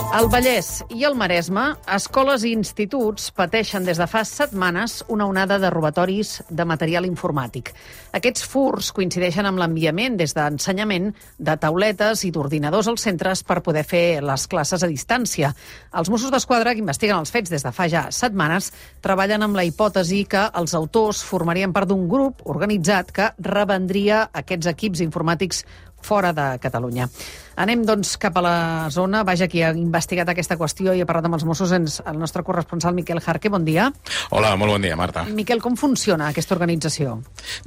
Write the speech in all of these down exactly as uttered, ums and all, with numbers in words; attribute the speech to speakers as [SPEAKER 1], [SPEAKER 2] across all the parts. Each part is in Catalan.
[SPEAKER 1] Al Vallès i al Maresme, escoles i instituts pateixen des de fa setmanes una onada de robatoris de material informàtic. Aquests furts coincideixen amb l'enviament des d'ensenyament de tauletes i d'ordinadors als centres per poder fer les classes a distància. Els Mossos d'Esquadra, que investiguen els fets des de fa ja setmanes, treballen amb la hipòtesi que els autors formarien part d'un grup organitzat que revendria aquests equips informàtics fora de Catalunya. Anem, doncs, cap a la zona. Vaja, qui ha investigat aquesta qüestió i ha parlat amb els Mossos és el nostre corresponsal Miquel Jarque. Bon dia.
[SPEAKER 2] Hola, molt bon dia, Marta.
[SPEAKER 1] Miquel, com funciona aquesta organització?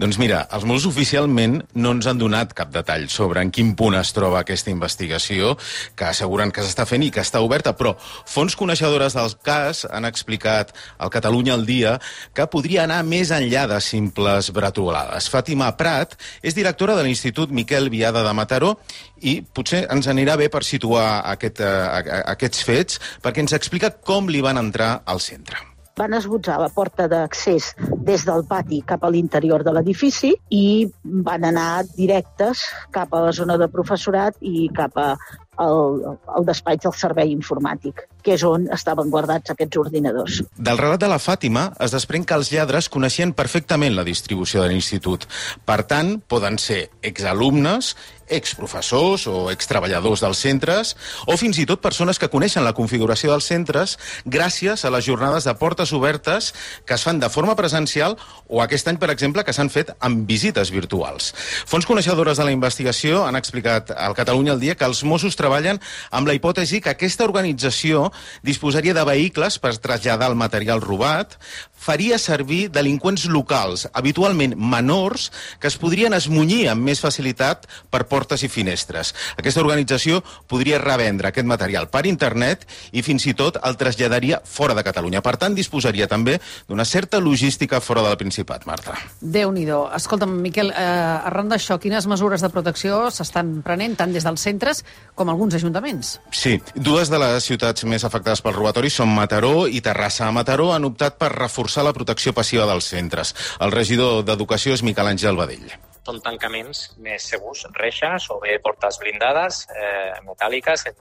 [SPEAKER 2] Doncs mira, els Mossos oficialment no ens han donat cap detall sobre en quin punt es troba aquesta investigació, que asseguren que s'està fent i que està oberta, però fonts coneixedores del cas han explicat al Catalunya al dia que podria anar més enllà de simples bretolades. Fàtima Prat és directora de l'Institut Miquel Biada de Mataró i potser ens anirà bé per situar aquest, uh, aquests fets, perquè ens explica com li van entrar al centre.
[SPEAKER 3] Van esbotzar la porta d'accés des del pati cap a l'interior de l'edifici i van anar directes cap a la zona de professorat i cap a el, el despatx del servei informàtic, que és on estaven guardats aquests ordinadors.
[SPEAKER 2] Del relat de la Fàtima es desprèn que els lladres coneixien perfectament la distribució de l'institut. Per tant, poden ser exalumnes, exprofessors o extreballadors dels centres, o fins i tot persones que coneixen la configuració dels centres gràcies a les jornades de portes obertes que es fan de forma presencial o aquest any, per exemple, que s'han fet amb visites virtuals. Fonts coneixedores de la investigació han explicat al Catalunya al dia que els Mossos treballen amb la hipòtesi que aquesta organització disposaria de vehicles per traslladar el material robat, faria servir delinqüents locals, habitualment menors, que es podrien esmunyir amb més facilitat per portes i finestres. Aquesta organització podria revendre aquest material per internet i fins i tot el traslladaria fora de Catalunya. Per tant, disposaria també d'una certa logística fora del Principat, Marta.
[SPEAKER 1] Déu-n'hi-do. Escolta'm, Miquel, eh, arran d'això, quines mesures de protecció s'estan prenent tant des dels centres com alguns ajuntaments?
[SPEAKER 2] Sí, dues de les ciutats més afectades pel robatori són Mataró i Terrassa. A Mataró han optat per reforçar la protecció passiva dels centres. El regidor d'Educació és Miquel Àngel Badell.
[SPEAKER 4] Són tancaments més segurs, reixes o bé portes blindades, eh, metàl·liques, en,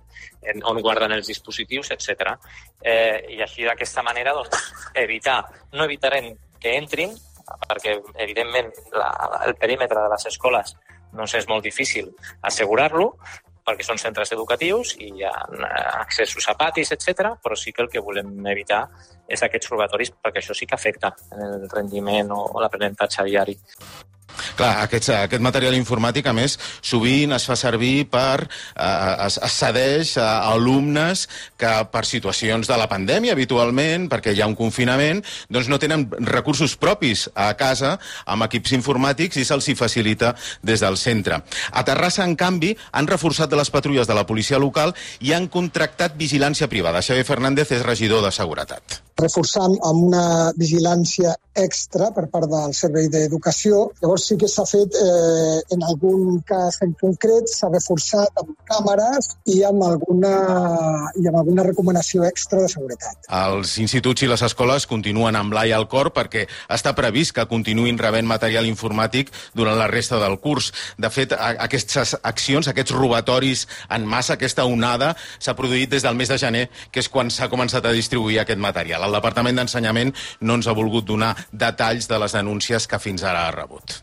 [SPEAKER 4] en, on guarden els dispositius, etcètera. Eh, I així, d'aquesta manera, doncs, evitar, no evitarem que entrin, perquè, evidentment, la, el perímetre de les escoles doncs és molt difícil assegurar-lo, perquè són centres educatius i hi ha accessos a patis, etcètera, però sí que el que volem evitar és aquests robatoris, perquè això sí que afecta el rendiment o l'aprenentatge diari.
[SPEAKER 2] Clar, aquest, aquest material informàtic, a més, sovint es fa servir per... Eh, es, es cedeix a alumnes que per situacions de la pandèmia, habitualment, perquè hi ha un confinament, doncs no tenen recursos propis a casa amb equips informàtics i se'ls hi facilita des del centre. A Terrassa, en canvi, han reforçat de les patrulles de la policia local i han contractat vigilància privada. Xavier Fernández és regidor de Seguretat.
[SPEAKER 5] Reforçant amb una vigilància extra per part del Servei d'Educació. Llavors sí que s'ha fet, eh, en algun cas en concret, s'ha reforçat amb càmeres i amb alguna, i amb alguna recomanació extra de seguretat.
[SPEAKER 2] Els instituts i les escoles continuen amb l'ai al cor perquè està previst que continuïn rebent material informàtic durant la resta del curs. De fet, aquestes accions, aquests robatoris en massa, aquesta onada, s'ha produït des del mes de gener, que és quan s'ha començat a distribuir aquest material. El Departament d'Ensenyament no ens ha volgut donar detalls de les denúncies que fins ara ha rebut.